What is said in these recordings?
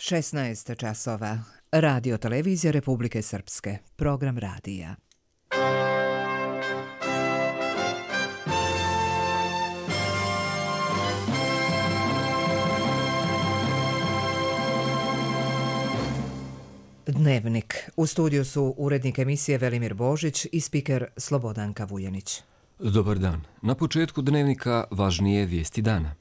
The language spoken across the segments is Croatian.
16 časova. Radio Televizija Republike Srpske. Program radija. Dnevnik. U studiju su urednik emisije Velimir Božić i spiker Slobodanka Vujanić. Dobar dan. Na početku dnevnika važnije vijesti dana.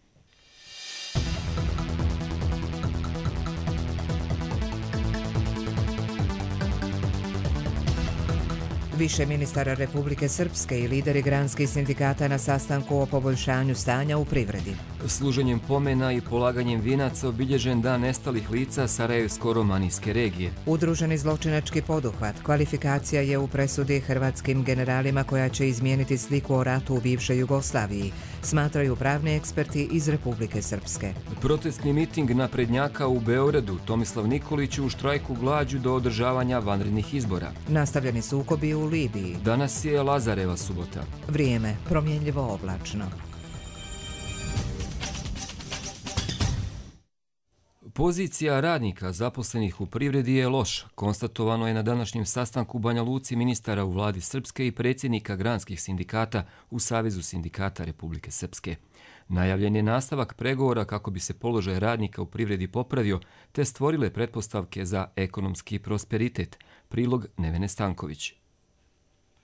Više ministara Republike Srpske i lideri granskih sindikata na sastanku o poboljšanju stanja u privredi. Služenjem pomena i polaganjem vijenaca obilježen dan nestalih lica Sarajevsko-romanijske regije. Udruženi zločinački poduhvat. Kvalifikacija je u presudi hrvatskim generalima koja će izmijeniti sliku o ratu u bivšoj Jugoslaviji, smatraju pravni eksperti iz Republike Srpske. Protestni miting naprednjaka u Beogradu. Tomislav Nikolić u štrajku glađu do održavanja vanrednih izbora. Nastavljeni sukobi u Libiji. Danas je Lazareva subota. Vrijeme promjenljivo oblačno. Pozicija radnika zaposlenih u privredi je loš. Konstatovano je na današnjem sastanku u Banja Luci ministara u vladi Srpske i predsjednika granskih sindikata u Savezu sindikata Republike Srpske. Najavljen je nastavak pregovora kako bi se položaj radnika u privredi popravio te stvorile pretpostavke za ekonomski prosperitet. Prilog Nevene Stanković.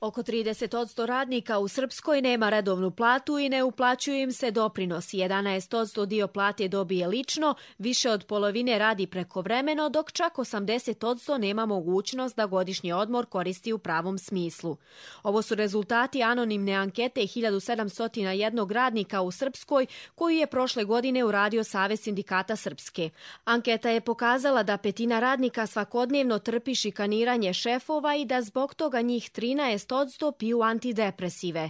Oko 30% radnika u Srpskoj nema redovnu platu i ne uplaćuju im se doprinosi. 11% dio plate dobije lično, više od polovine radi prekovremeno, dok čak 80% nema mogućnost da godišnji odmor koristi u pravom smislu. Ovo su rezultati anonimne ankete 1701 radnika u Srpskoj koju je prošle godine uradio Savez sindikata Srpske. Anketa je pokazala da petina radnika svakodnevno trpi šikaniranje šefova i da zbog toga njih 13% piju antidepresive.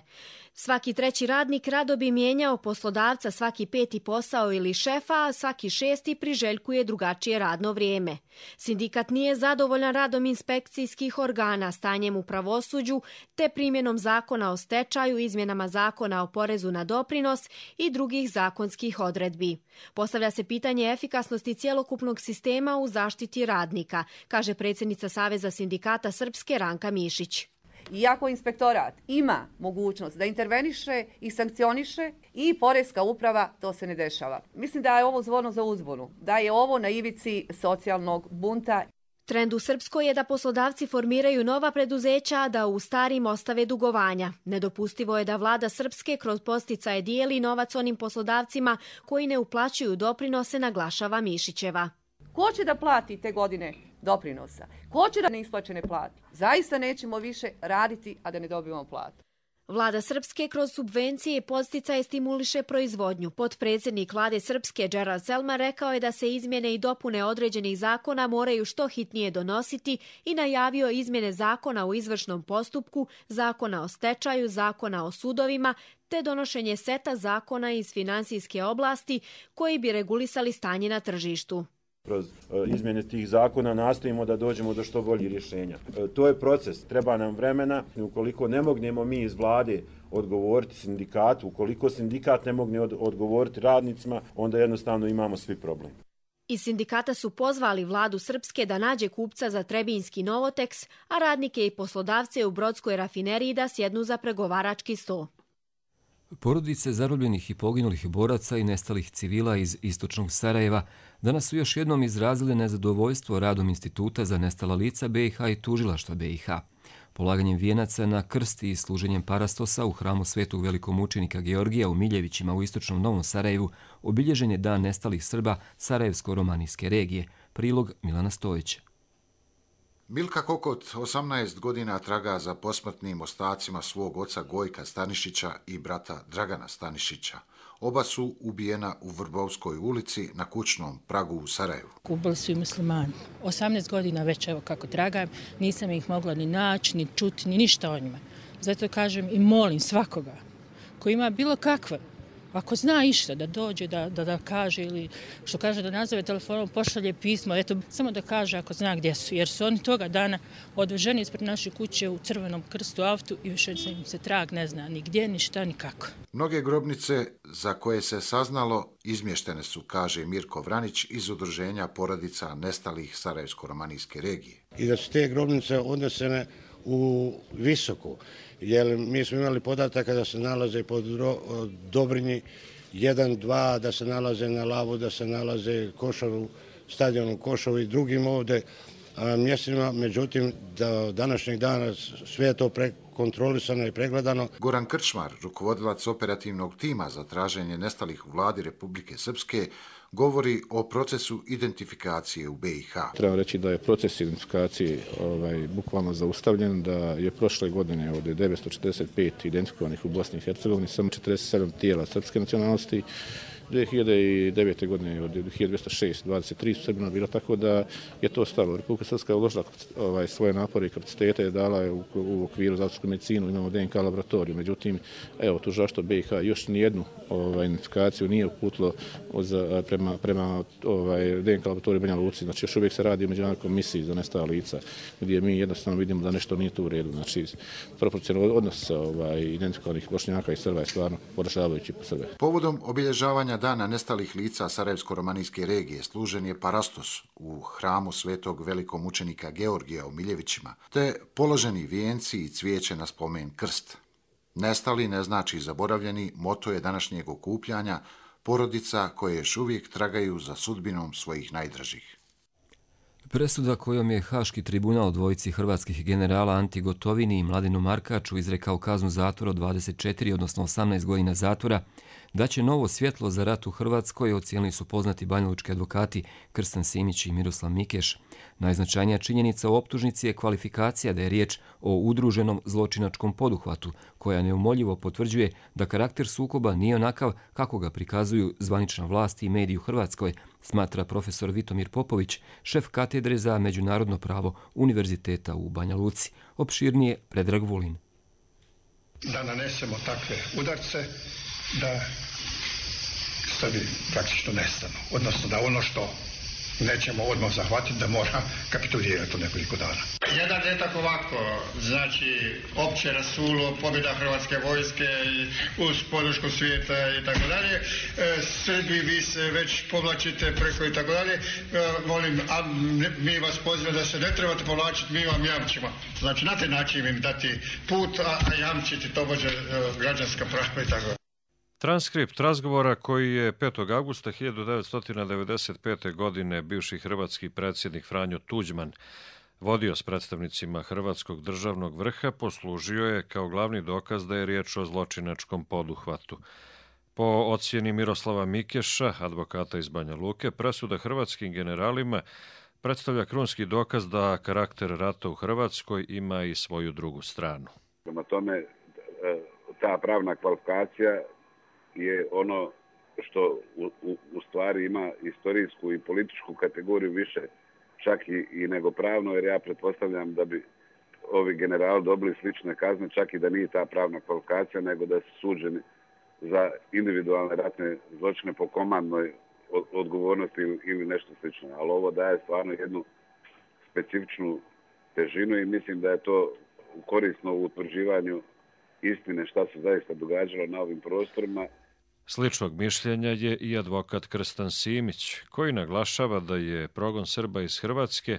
Svaki treći radnik rado bi mijenjao poslodavca, svaki peti posao ili šefa, a svaki šesti priželjkuje drugačije radno vrijeme. Sindikat nije zadovoljan radom inspekcijskih organa, stanjem u pravosuđu, te primjenom zakona o stečaju, izmjenama zakona o porezu na doprinos i drugih zakonskih odredbi. Postavlja se pitanje efikasnosti cjelokupnog sistema u zaštiti radnika, kaže predsjednica Saveza sindikata Srpske Ranka Mišić. Iako inspektorat ima mogućnost da interveniše i sankcioniše i poreska uprava, to se ne dešava. Mislim da je ovo zvono za uzbunu, da je ovo na ivici socijalnog bunta. Trend u Srpskoj je da poslodavci formiraju nova preduzeća, a da u starim ostave dugovanja. Nedopustivo je da vlada Srpske kroz podsticaje dijeli novac onim poslodavcima koji ne uplaćuju doprinose, naglašava Mišićeva. Ko će da plati te godine doprinosa? Ko će da neisplaćene plati? Zaista nećemo više raditi, a da ne dobivamo platu. Vlada Srpske kroz subvencije i podsticaje stimuliše proizvodnju. Potpredsjednik vlade Srpske Gerald Selma rekao je da se izmjene i dopune određenih zakona moraju što hitnije donositi i najavio izmjene zakona u izvršnom postupku, zakona o stečaju, zakona o sudovima, te donošenje seta zakona iz finansijske oblasti koji bi regulisali stanje na tržištu. Kroz izmjene tih zakona nastojimo da dođemo do što boljih rješenja. To je proces, treba nam vremena. Ukoliko ne mognemo mi iz vlade odgovoriti sindikatu, ukoliko sindikat ne mogne odgovoriti radnicima, onda jednostavno imamo svi problem. Iz sindikata su pozvali vladu Srpske da nađe kupca za Trebinjski Novoteks, a radnike i poslodavce u Brodskoj rafineriji da sjednu za pregovarački sto. Porodice zarobljenih i poginulih boraca i nestalih civila iz istočnog Sarajeva danas su još jednom izrazile nezadovoljstvo radom Instituta za nestala lica BiH i tužilaštva BiH. Polaganjem vijenaca na krst i služenjem parastosa u hramu svetog velikomučenika Georgija u Miljevićima u istočnom Novom Sarajevu obilježen je dan nestalih Srba Sarajevsko-romanijske regije. Prilog Milana Stojića. Milka Kokot 18 godina traga za posmrtnim ostacima svog oca Gojka Stanišića i brata Dragana Stanišića. Oba su ubijena u Vrbovskoj ulici na kućnom pragu u Sarajevu. Ubili su i muslimani. 18 godina već, evo kako tragam, nisam ih mogla ni naći, ni čuti, ni ništa o njima. Zato kažem i molim svakoga koji ima bilo kakve Ako zna išta da dođe, da kaže ili što kaže da nazove telefonom, pošalje pismo, eto, samo da kaže ako zna gdje su, jer su oni toga dana odveženi ispred naše kuće u Crvenom krstu autu i više im se trag ne zna ni gdje, ni šta, ni kako. Mnoge grobnice za koje se saznalo izmještene su, kaže Mirko Vranić iz Udruženja porodica nestalih Sarajevsko-romanijske regije. I da su te grobnice odnesene u Visoku, jer mi smo imali podataka da se nalaze pod Dobrinji 1, 2, da se nalaze na Lavu, da se nalaze Košaru, stadionu Košaru i drugim ovdje mjestima, međutim do današnjeg dana sve je to kontrolisano i pregledano. Goran Krčmar, rukovodilac operativnog tima za traženje nestalih u vladi Republike Srpske, govori o procesu identifikacije u BiH. Treba reći da je proces identifikacije bukvalno zaustavljen, da je prošle godine od 945 identifikovanih u Bosni i Hercegovini samo 47 tijela srpske nacionalnosti, 2009. godine od 1206, 23 su Srbina bilo, tako da je to stalo. Republika Srpska je uložila svoje napore i kapacitete, je dala je u okviru za autorsku medicinu, imamo DNK laboratoriju. Međutim, evo, tužilaštvo BiH još nijednu identifikaciju nije uputilo prema DNK laboratoriju Banja Luci. Znači, još uvijek se radi o međunarodnoj komisiji za nestala lica, gdje mi jednostavno vidimo da nešto nije tu u redu. Znači, proporcionalno odnos identifikovanih Bošnjaka i Srba je stvarno poražavajući po Srbe. Povodom obilježavanja Dana nestalih lica Sarajevsko-romanijske regije služen je parastos u hramu svetog velikomučenika Georgija u Miljevićima, te položeni vijenci i cvijeće na spomen krst. Nestali ne znači zaboravljeni, moto je današnjeg okupljanja porodica koje još uvijek tragaju za sudbinom svojih najdražih. Presuda kojom je Haški tribunal dvojici hrvatskih generala Anti Gotovini i Mladenu Markaču izrekao kaznu zatvora od 24, odnosno 18 godina zatvora, daće novo svjetlo za rat u Hrvatskoj, ocijenili su poznati banjalučki advokati Krstan Simić i Miroslav Mikeš. Najznačajnija činjenica u optužnici je kvalifikacija da je riječ o udruženom zločinačkom poduhvatu, koja neumoljivo potvrđuje da karakter sukoba nije onakav kako ga prikazuju zvanična vlast i mediji u Hrvatskoj, smatra profesor Vitomir Popović, šef katedre za međunarodno pravo Univerziteta u Banja Luci. Opširnije Predrag Vulin. Da nanesemo takve udarce, da stvari praktično nestanu. Odnosno da ono što nećemo odmah zahvatiti, da mora kapitulirati u nekoliko dana. Jedan detak ovako, znači opće rasulo, pobjeda Hrvatske vojske uz podršku svijeta i tako dalje. Srbi, vi se već povlačite preko i tako dalje. Molim, a mi vas pozivamo da se ne trebate povlačiti, mi vam jamčimo. Znači na taj način im dati put, a jamčiti tobože građanska prava i tako dalje. Transkript razgovora koji je 5. augusta 1995. godine bivši hrvatski predsjednik Franjo Tuđman vodio s predstavnicima Hrvatskog državnog vrha poslužio je kao glavni dokaz da je riječ o zločinačkom poduhvatu. Po ocjeni Miroslava Mikeša, advokata iz Banja Luke, presuda hrvatskim generalima predstavlja krunski dokaz da karakter rata u Hrvatskoj ima i svoju drugu stranu. Prema tome, ta pravna kvalifikacija je ono što u stvari ima istorijsku i političku kategoriju više čak i nego pravno, jer ja pretpostavljam da bi ovi generali dobili slične kazne, čak i da nije ta pravna kvalifikacija, nego da su suđeni za individualne ratne zločine po komandnoj odgovornosti ili nešto slično. Ali ovo daje stvarno jednu specifičnu težinu i mislim da je to korisno u utvrđivanju istine šta se zaista događalo na ovim prostorima. Sličnog mišljenja je i advokat Krstan Simić, koji naglašava da je progon Srba iz Hrvatske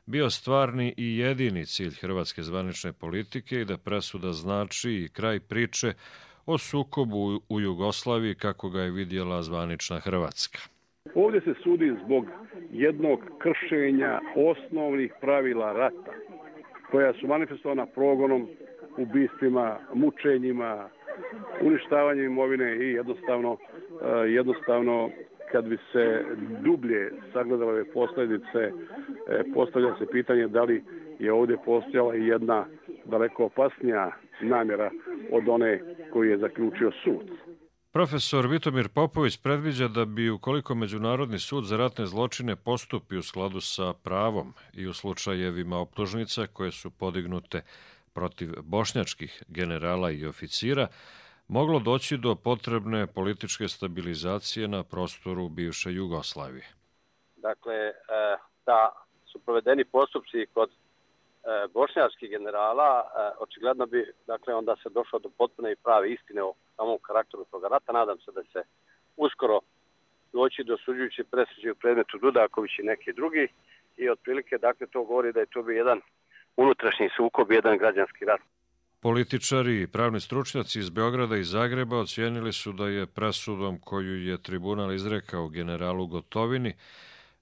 bio stvarni i jedini cilj hrvatske zvanične politike i da presuda znači i kraj priče o sukobu u Jugoslaviji kako ga je vidjela zvanična Hrvatska. Ovdje se sudi zbog jednog kršenja osnovnih pravila rata, koja su manifestovana progonom, ubistvima, mučenjima, uništavanjem imovine i jednostavno kad bi se dublje sagledale ove posljedice, postavlja se pitanje da li je ovdje postojala i jedna daleko opasnija namjera od one koju je zaključio sud. Profesor Vitomir Popović predviđa da bi ukoliko Međunarodni sud za ratne zločine postupi u skladu sa pravom i u slučajevima optužnica koje su podignute protiv bošnjačkih generala i oficira, moglo doći do potrebne političke stabilizacije na prostoru bivše Jugoslavije. Dakle, da su provedeni postupci kod bošnjačkih generala, očigledno bi onda se došlo do potpune i prave istine o samom karakteru toga rata. Nadam se da se uskoro doći do osuđujuće presuđe u predmetu Dudaković i neki drugi i otprilike to govori da je to bio jedan unutrašnji sukob, jedan građanski rat. Političari i pravni stručnjaci iz Beograda i Zagreba ocijenili su da je presudom koju je tribunal izrekao generalu Gotovini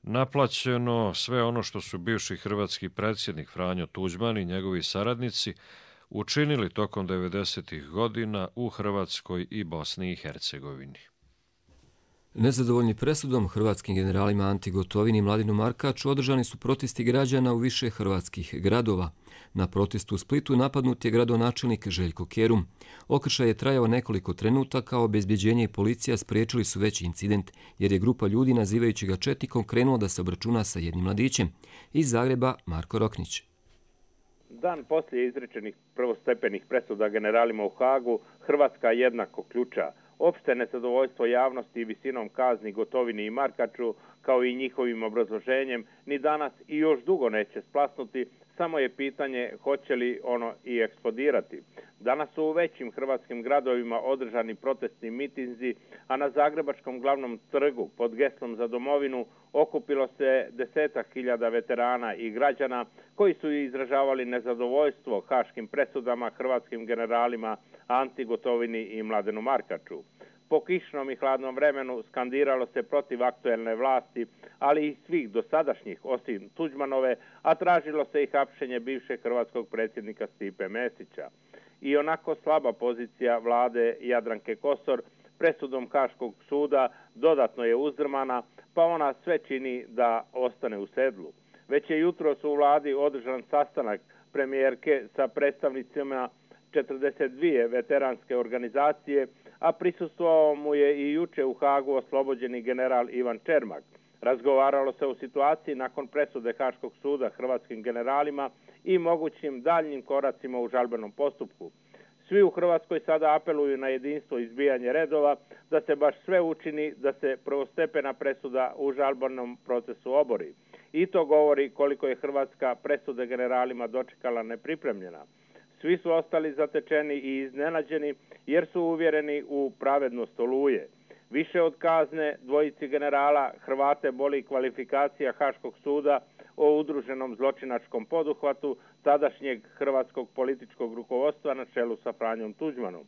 naplaćeno sve ono što su bivši hrvatski predsjednik Franjo Tuđman i njegovi saradnici učinili tokom 90. godina u Hrvatskoj i Bosni i Hercegovini. Nezadovoljni presudom hrvatskim generalima Anti Gotovini i Mladenu Markaču održani su protesti građana u više hrvatskih gradova. Na protestu u Splitu napadnut je gradonačelnik Željko Kerum. Okršaj je trajao nekoliko trenutaka, a obezbjeđenje i policija spriječili su veći incident, jer je grupa ljudi nazivajući ga četnikom krenuo da se obračuna sa jednim mladićem. Iz Zagreba Marko Roknić. Dan poslije izrečenih prvostepenih presuda generalima u Hagu, Hrvatska jednako ključa. Opšte nezadovoljstvo javnosti i visinom kazni Gotovini i Markaču, kao i njihovim obrazloženjem, ni danas i još dugo neće splasnuti, samo je pitanje hoće li ono i eksplodirati. Danas su u većim hrvatskim gradovima održani protestni mitinzi, a na Zagrebačkom glavnom trgu pod geslom za domovinu okupilo se 10.000 veterana i građana koji su izražavali nezadovoljstvo haškim presudama hrvatskim generalima Anti Gotovini i Mladenu Markaču. Po kišnom i hladnom vremenu skandiralo se protiv aktuelne vlasti, ali i svih dosadašnjih osim Tuđmanove, a tražilo se i hapšenje bivšeg hrvatskog predsjednika Stipe Mesića. I onako slaba pozicija vlade Jadranke Kosor presudom Haškog suda dodatno je uzdrmana, pa ona sve čini da ostane u sedlu. Već je jutros u vladi održan sastanak premijerke sa predstavnicima 42 veteranske organizacije, a prisustvovao mu je i juče u Hagu oslobođeni general Ivan Čermak. Razgovaralo se o situaciji nakon presude Haškog suda hrvatskim generalima i mogućim daljnjim koracima u žalbenom postupku. Svi u Hrvatskoj sada apeluju na jedinstvo i izbijanje redova, da se baš sve učini da se prvostepena presuda u žalbenom procesu obori. I to govori koliko je Hrvatska presude generalima dočekala nepripremljena. Svi su ostali zatečeni i iznenađeni jer su uvjereni u pravednost Oluje. Više od kazne dvojici generala Hrvate boli kvalifikacija Haškog suda o udruženom zločinačkom poduhvatu tadašnjeg hrvatskog političkog rukovodstva na čelu sa Franjom Tuđmanom.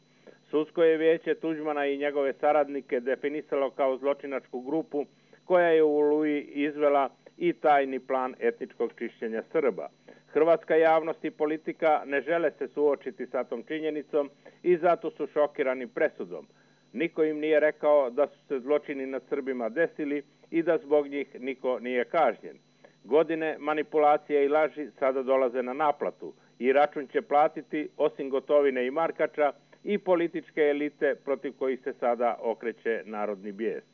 Sudsko je vijeće Tuđmana i njegove saradnike definisalo kao zločinačku grupu koja je u Oluji izvela i tajni plan etničkog čišćenja Srba. Hrvatska javnost i politika ne žele se suočiti sa tom činjenicom i zato su šokirani presudom. Niko im nije rekao da su se zločini nad Srbima desili i da zbog njih niko nije kažnjen. Godine manipulacije i laži sada dolaze na naplatu i račun će platiti, osim Gotovine i Markača, i političke elite protiv kojih se sada okreće narodni bijes.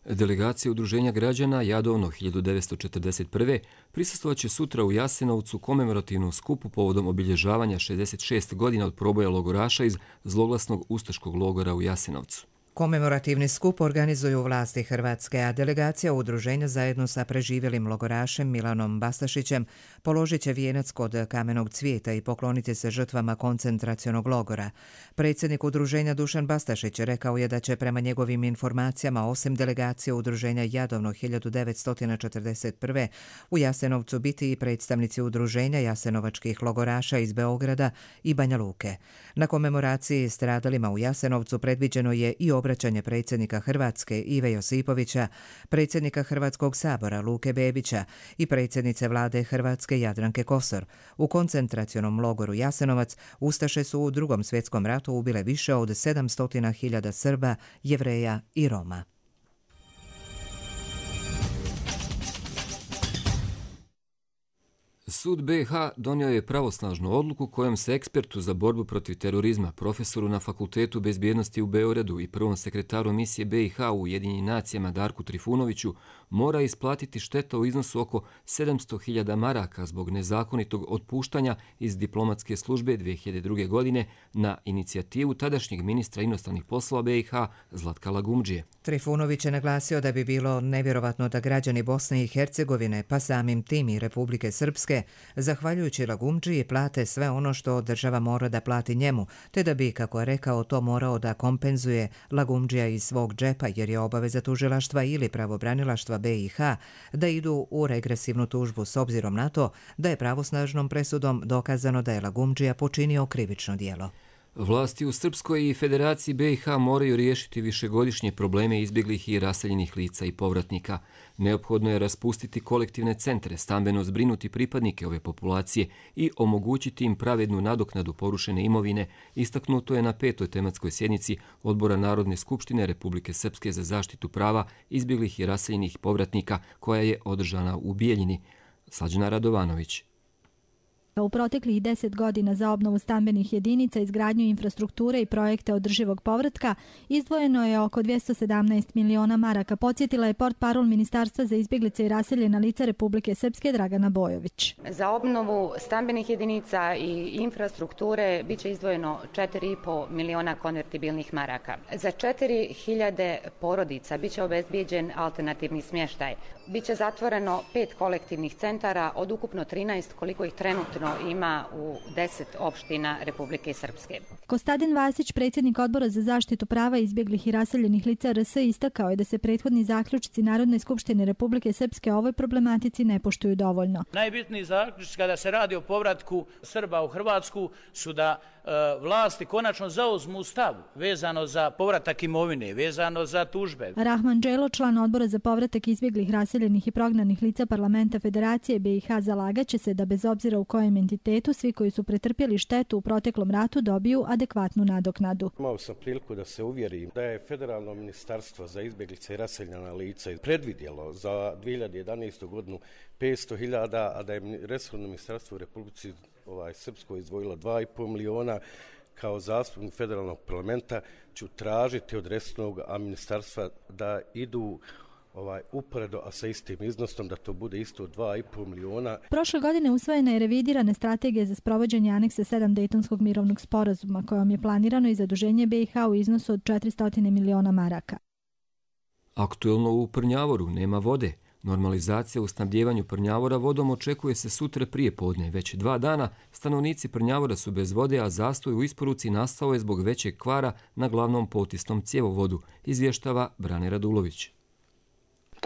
Delegacija Udruženja građana Jadovno 1941. prisustvovat će sutra u Jasenovcu komemorativnom skupu povodom obilježavanja 66 godina od proboja logoraša iz zloglasnog ustaškog logora u Jasenovcu. Komemorativni skup organizuju vlasti Hrvatske, a delegacija udruženja zajedno sa preživjelim logorašem Milanom Bastašićem položit će vijenac kod Kamenog cvijeta i pokloniti se žrtvama koncentracionog logora. Predsjednik udruženja Dušan Bastašić rekao je da će prema njegovim informacijama osim delegacije udruženja Jadovno 1941. u Jasenovcu biti i predstavnici udruženja jasenovačkih logoraša iz Beograda i Banja Luke. Na komemoraciji stradalima u Jasenovcu predviđeno je i obraćanje predsjednika Hrvatske Ive Josipovića, predsjednika Hrvatskog sabora Luke Bebića i predsjednice vlade Hrvatske Jadranke Kosor. U koncentracionom logoru Jasenovac ustaše su u Drugom svjetskom ratu ubile više od 700.000 Srba, Jevreja i Roma. Sud BiH donio je pravosnažnu odluku kojom se ekspertu za borbu protiv terorizma, profesoru na Fakultetu bezbjednosti u Beogradu i prvom sekretaru misije BiH u Ujedinjenim nacijama Darku Trifunoviću mora isplatiti šteta u iznosu oko 700.000 maraka zbog nezakonitog otpuštanja iz diplomatske službe 2002. godine na inicijativu tadašnjeg ministra inostranih poslova BiH Zlatka Lagumdžije. Trifunović je naglasio da bi bilo nevjerovatno da građani Bosne i Hercegovine, pa samim tim i Republike Srpske, zahvaljujući Lagumdžiji plate sve ono što država mora da plati njemu, te da bi, kako je rekao, to morao da kompenzuje Lagumdžija iz svog džepa jer je obaveza tužilaštva ili pravobranilaštva BiH da idu u regresivnu tužbu s obzirom na to da je pravosnažnom presudom dokazano da je Lagumdžija počinio krivično djelo. Vlasti u Srpskoj i Federaciji BiH moraju riješiti višegodišnje probleme izbjeglih i raseljenih lica i povratnika. Neophodno je raspustiti kolektivne centre, stambeno zbrinuti pripadnike ove populacije i omogućiti im pravednu nadoknadu porušene imovine, istaknuto je na 5. tematskoj sjednici Odbora Narodne skupštine Republike Srpske za zaštitu prava izbjeglih i raseljenih povratnika koja je održana u Bijeljini. Slađana Radovanović. U proteklih 10 godina za obnovu stambenih jedinica, izgradnju infrastrukture i projekte održivog povratka izdvojeno je oko 217 miliona maraka, podsjetila je portparol Ministarstva za izbjeglice i raseljena lica Republike Srpske Dragana Bojović. Za obnovu stambenih jedinica i infrastrukture biće izdvojeno 4,5 miliona konvertibilnih maraka. Za 4.000 porodica biće obezbijeđen alternativni smještaj. Biće zatvoreno 5 kolektivnih centara od ukupno 13 koliko ih trenutno ima u 10 opština Republike Srpske. Kostadin Vasić, predsjednik Odbora za zaštitu prava izbjeglih i raseljenih lica RS, istakao je da se prethodni zaključci Narodne skupštine Republike Srpske o ovoj problematici ne poštuju dovoljno. Najbitniji zaključci kada se radi o povratku Srba u Hrvatsku su da vlasti konačno zauzmu stav vezano za povratak imovine, vezano za tužbe. Rahman Dželo, član Odbora za povratak izbjeglih, raseljenih i prognanih lica Parlamenta Federacije BiH, zalagaće se da bez obzira u kojem entitetu svi koji su pretrpjeli štetu u proteklom ratu dobiju adekvatnu nadoknadu. Imao sam priliku da se uvjerim da je Federalno ministarstvo za izbjeglice i raseljena lica predvidjelo za 2011. godinu 500.000, a da je resorno ministarstvo u Republici Srpskoj izdvojilo 2,5 miliona. Kao zastupnik federalnog parlamenta ću tražiti od resornog ministarstva da idu uporedo, a sa istim iznosom, da to bude isto 2,5 miliona. Prošle godine usvojena je revidirana strategija za sprovođenje aneksa 7 Dejtonskog mirovnog sporazuma, kojom je planirano i zaduženje BiH u iznosu od 400 miliona maraka. Aktuelno u Prnjavoru nema vode. Normalizacija u snabdjevanju Prnjavora vodom očekuje se sutra prije podne. Već 2 dana stanovnici Prnjavora su bez vode, a zastoj u isporuci nastao je zbog većeg kvara na glavnom potisnom cjevovodu, izvještava Brane Radulović.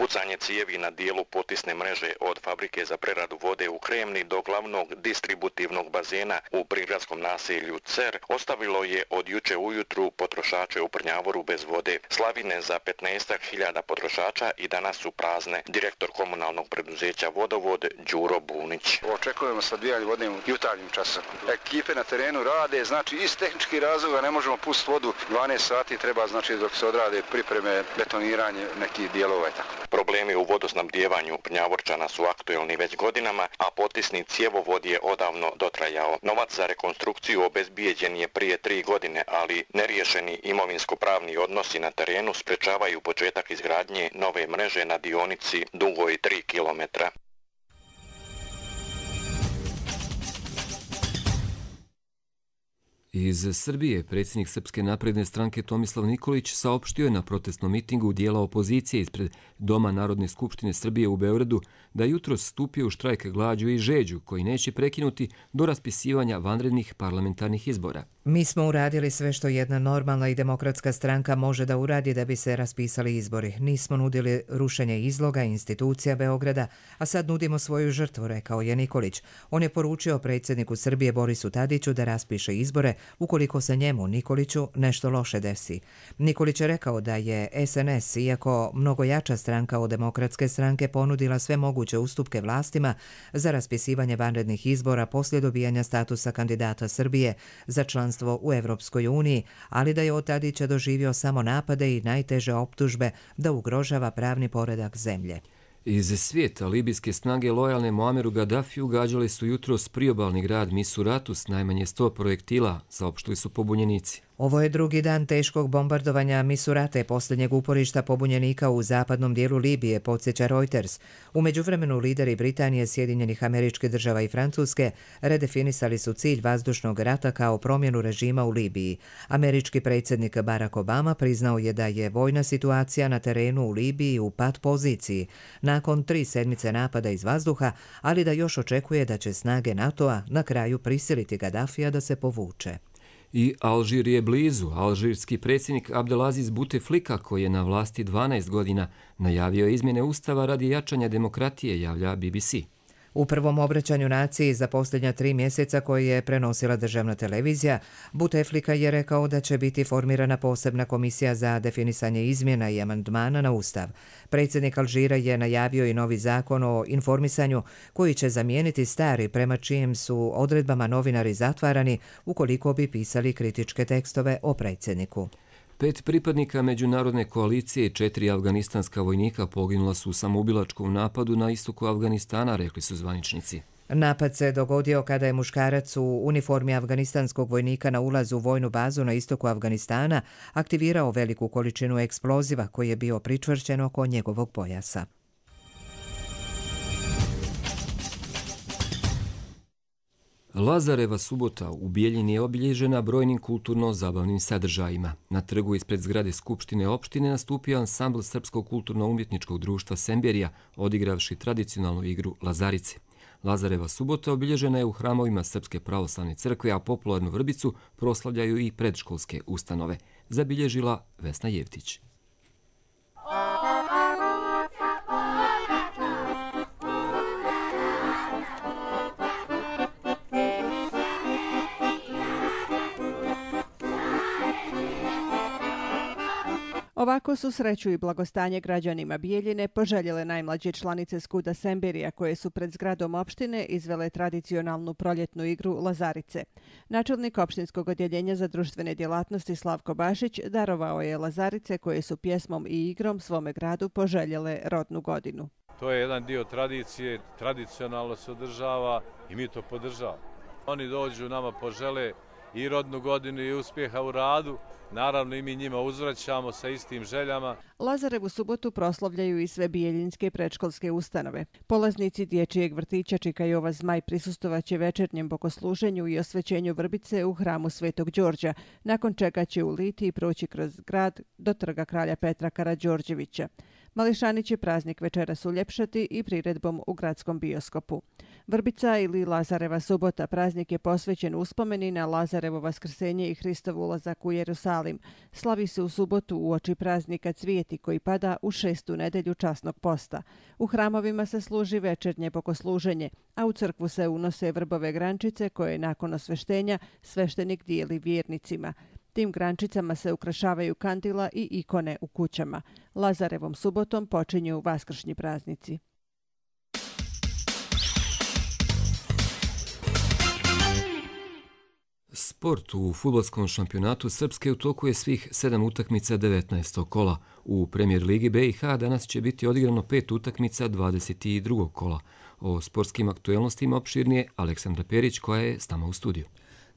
Pucanje cijevi na dijelu potisne mreže od fabrike za preradu vode u Kremni do glavnog distributivnog bazena u prigradskom naselju Cer ostavilo je od juče ujutru potrošače u Prnjavoru bez vode. Slavine za 15.000 potrošača i danas su prazne. Direktor komunalnog preduzeća Vodovod Đuro Bunić. Očekujemo sadvijanje vode u jutarnjim časom. Ekipe na terenu rade, znači iz tehničkih razloga ne možemo pustiti vodu 12 sati, treba znači dok se odrade pripreme, betoniranje nekih dijelova i tako. Problemi u vodosnabdjevanju Prnjavorčana su aktuelni već godinama, a potisni cjevovod je odavno dotrajao. Novac za rekonstrukciju obezbijeđen je prije 3 godine, ali neriješeni imovinsko-pravni odnosi na terenu sprečavaju početak izgradnje nove mreže na dionici dugoj 3 kilometra. Iz Srbije predsjednik Srpske napredne stranke Tomislav Nikolić saopštio je na protestnom mitingu dijela opozicije ispred Doma Narodne skupštine Srbije u Beogradu da jutros stupio u štrajk glađu i žeđu koji neće prekinuti do raspisivanja vanrednih parlamentarnih izbora. Mi smo uradili sve što jedna normalna i demokratska stranka može da uradi da bi se raspisali izbori. Nismo nudili rušenje izloga institucija Beograda, a sad nudimo svoju žrtvu, rekao je Nikolić. On je poručio predsjedniku Srbije Borisu Tadiću da raspiše izbore ukoliko se njemu, Nikoliću, nešto loše desi. Nikolić je rekao da je SNS, iako mnogo jača stranka od demokratske stranke, ponudila sve moguće ustupke vlastima za raspisivanje vanrednih izbora poslije dobijanja statusa kandidata Srbije za članstvo u Evropskoj uniji, ali da je od Tadića doživio samo napade i najteže optužbe da ugrožava pravni poredak zemlje. Iz svijeta libijske snage lojalne Muameru Gaddafiju gađali su jutros priobalni grad Misuratu s najmanje 100 projektila, saopštili su pobunjenici. Ovo je drugi dan teškog bombardovanja Misurate, posljednjeg uporišta pobunjenika u zapadnom dijelu Libije, podsjeća Reuters. U međuvremenu lideri Britanije, Sjedinjenih Američkih Država i Francuske redefinisali su cilj vazdušnog rata kao promjenu režima u Libiji. Američki predsjednik Barack Obama priznao je da je vojna situacija na terenu u Libiji u pat poziciji nakon 3 sedmice napada iz vazduha, ali da još očekuje da će snage NATO-a na kraju prisiliti Gaddafija da se povuče. I Alžir je blizu. Alžirski predsjednik Abdelaziz Bouteflika, koji je na vlasti 12 godina, najavio izmjene ustava radi jačanja demokratije, javlja BBC. U prvom obraćanju naciji za posljednja 3 mjeseca koje je prenosila državna televizija, Bouteflika je rekao da će biti formirana posebna komisija za definisanje izmjena i amandmana na ustav. Predsjednik Alžira je najavio i novi zakon o informisanju koji će zamijeniti stari, prema čijim su odredbama novinari zatvarani ukoliko bi pisali kritičke tekstove o predsjedniku. 5 pripadnika međunarodne koalicije i 4 afganistanska vojnika poginula su u samoubilačkom napadu na istoku Afganistana, rekli su zvaničnici. Napad se dogodio kada je muškarac u uniformi afganistanskog vojnika na ulazu u vojnu bazu na istoku Afganistana aktivirao veliku količinu eksploziva koji je bio pričvršćen oko njegovog pojasa. Lazareva subota u Bijeljini je obilježena brojnim kulturno-zabavnim sadržajima. Na trgu ispred zgrade Skupštine opštine nastupio ansambl Srpskog kulturno-umjetničkog društva Semberija, odigravši tradicionalnu igru Lazarice. Lazareva subota obilježena je u hramovima Srpske pravoslavne crkve, a popularnu vrbicu proslavljaju i predškolske ustanove, zabilježila Vesna Jevtić. Ovako su sreću i blagostanje građanima Bijeljine poželjele najmlađe članice Skuda Semberija koje su pred zgradom opštine izvele tradicionalnu proljetnu igru Lazarice. Načelnik opštinskog odjeljenja za društvene djelatnosti Slavko Bašić darovao je Lazarice koje su pjesmom i igrom svome gradu poželjele rodnu godinu. To je jedan dio tradicije, tradicionalno se održava i mi to podržavamo. Oni dođu nama požele i rodnu godinu i uspjeha u radu. Naravno i mi njima uzvraćamo sa istim željama. Lazarevu subotu proslavljaju i sve bijeljinske predškolske ustanove. Polaznici dječjeg vrtića Čika Jova Zmaj prisustovaće večernjem bogosluženju i osvećenju vrbice u hramu Svetog Đorđa, nakon čega će u litiji proći kroz grad do trga kralja Petra Karađorđevića. Mališani će praznik večeras uljepšati i priredbom u gradskom bioskopu. Vrbica ili Lazareva subota praznik je posvećen uspomeni na Lazarevo vaskrsenje i Hristov ulazak u Jerusalim. Slavi se u subotu uoči praznika Cvijeti koji pada u 6. nedelju časnog posta. U hramovima se služi večernje bogosluženje, a u crkvu se unose vrbove grančice koje nakon osveštenja sveštenik dijeli vjernicima. Tim grančicama se ukrašavaju kandila i ikone u kućama. Lazarevom subotom počinju vaskršnji praznici. Sport u fudbalskom šampionatu Srpske u toku je svih 7 utakmica 19. kola. U Premier Ligi BiH danas će biti odigrano 5 utakmica 22. kola. O sportskim aktuelnostima opširnije Aleksandra Perić koja je s nama u studiju.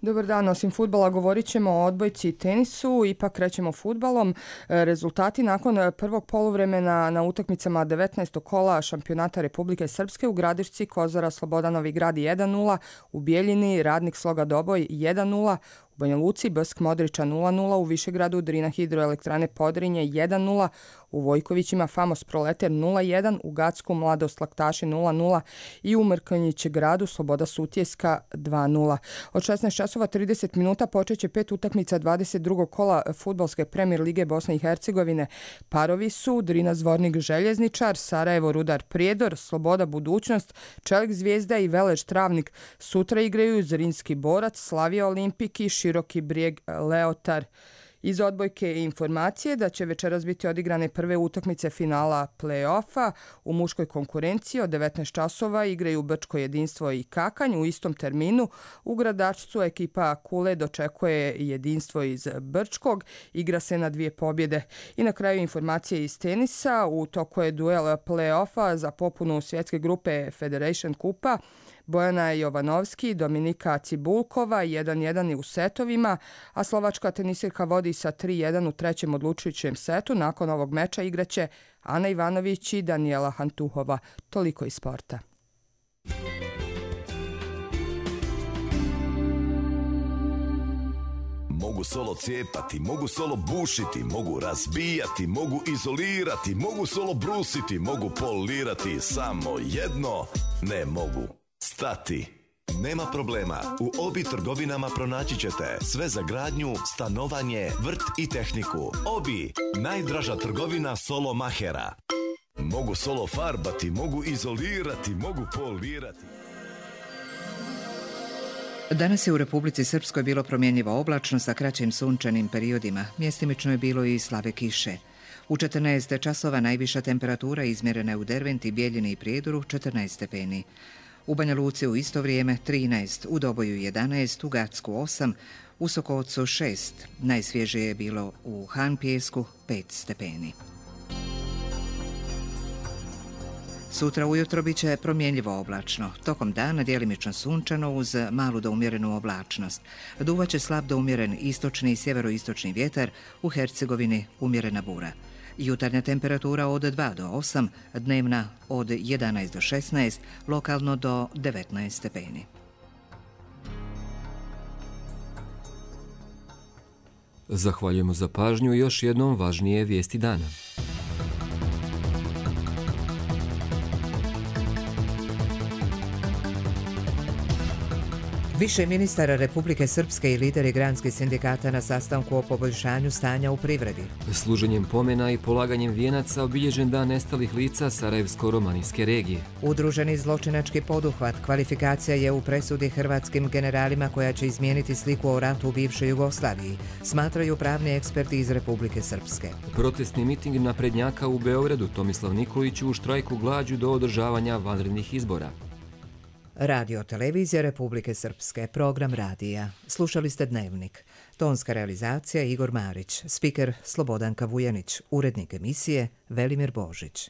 Dobar dan, osim fudbala govorit ćemo o odbojci i tenisu, ipak krećemo fudbalom. Rezultati nakon prvog poluvremena na utakmicama 19. kola šampionata Republike Srpske u Gradišci Kozara Sloboda Novi Grad 1-0, u Bijeljini Radnik Sloga Doboj 1-0, u Banja Luci Brsk Modriča 0-0, u Višegradu Drina Hidroelektrane Podrinje 1-0, u Vojkovićima Famos Proleter 0-1, u Gacku Mladost Laktaši 0-0 i u Mrkonjićegradu Sloboda Sutjeska 2-0. Od 16:30 minuta počeće 5 utakmica 22. kola fudbalske Premier Lige Bosne i Hercegovine. Parovi su Drina Zvornik Željezničar, Sarajevo Rudar Prijedor, Sloboda Budućnost, Čelik Zvijezda i Velež Travnik. Sutra igraju Zrinski Borac, Slavija Olimpik i Široki Brijeg Leotar. Iz odbojke informacije da će večeras biti odigrane prve utakmice finala play-offa. U muškoj konkurenciji od 19 časova igraju Brčko Jedinstvo i Kakanj u istom terminu. U Gradačcu ekipa Kule dočekuje Jedinstvo iz Brčkog. Igra se na 2 pobjede. I na kraju informacije iz tenisa. U toku je duel play-offa za popunu svjetske grupe Federation Kupa. Bojana Jovanovski i Dominika Cibulkova 1-1 u setovima, a slovačka tenisirka vodi sa 3-1 u trećem odlučujućem setu. Nakon ovog meča igraće Ana Ivanović i Daniela Hantuhova. Toliko iz sporta. Mogu solo cijepati, mogu solo bušiti, mogu razbijati, mogu izolirati, mogu solo brusiti, mogu polirati, samo jedno ne mogu. Stati. Nema problema, u Obi trgovinama pronaći ćete sve za gradnju, stanovanje, vrt i tehniku. Obi, najdraža trgovina solo mahera. Mogu solo farbati, mogu izolirati, mogu polirati. Danas je u Republici Srpskoj bilo promjenjivo oblačno sa kraćim sunčanim periodima. Mjestimično je bilo i slave kiše. U 14 časova najviša temperatura izmjerena je u Derventi, Bijeljini i Prijedoru 14 stepeni. U Banja Luci u isto vrijeme 13, u Doboju 11, u Gacku 8, u Sokocu 6. Najsvježije je bilo u Han Pijesku 5 stepeni. Sutra ujutro bit će promjenjivo oblačno. Tokom dana djelimično sunčano uz malu do umjerenu oblačnost. Duvaće slab do umjeren istočni i sjeveroistočni vjetar, u Hercegovini umjerena bura. Jutarnja temperatura od 2 do 8, dnevna od 11 do 16, lokalno do 19 stepeni. Zahvaljujemo za pažnju i još jednom važnije vijesti dana. Više ministara Republike Srpske i lideri granskih sindikata na sastanku o poboljšanju stanja u privredi. Služenjem pomena i polaganjem vijenaca obilježen dan nestalih lica Sarajevsko-romanijske regije. Udruženi zločinački poduhvat kvalifikacija je u presudi hrvatskim generalima koja će izmijeniti sliku o ratu u bivšoj Jugoslaviji, smatraju pravni eksperti iz Republike Srpske. Protestni miting naprednjaka u Beogradu, Tomislav Nikolić u štrajku glađu do održavanja vanrednih izbora. Radio Televizija Republike Srpske, program radija. Slušali ste Dnevnik. Tonska realizacija Igor Marić, spiker Slobodanka Vujanić, urednik emisije Velimir Božić.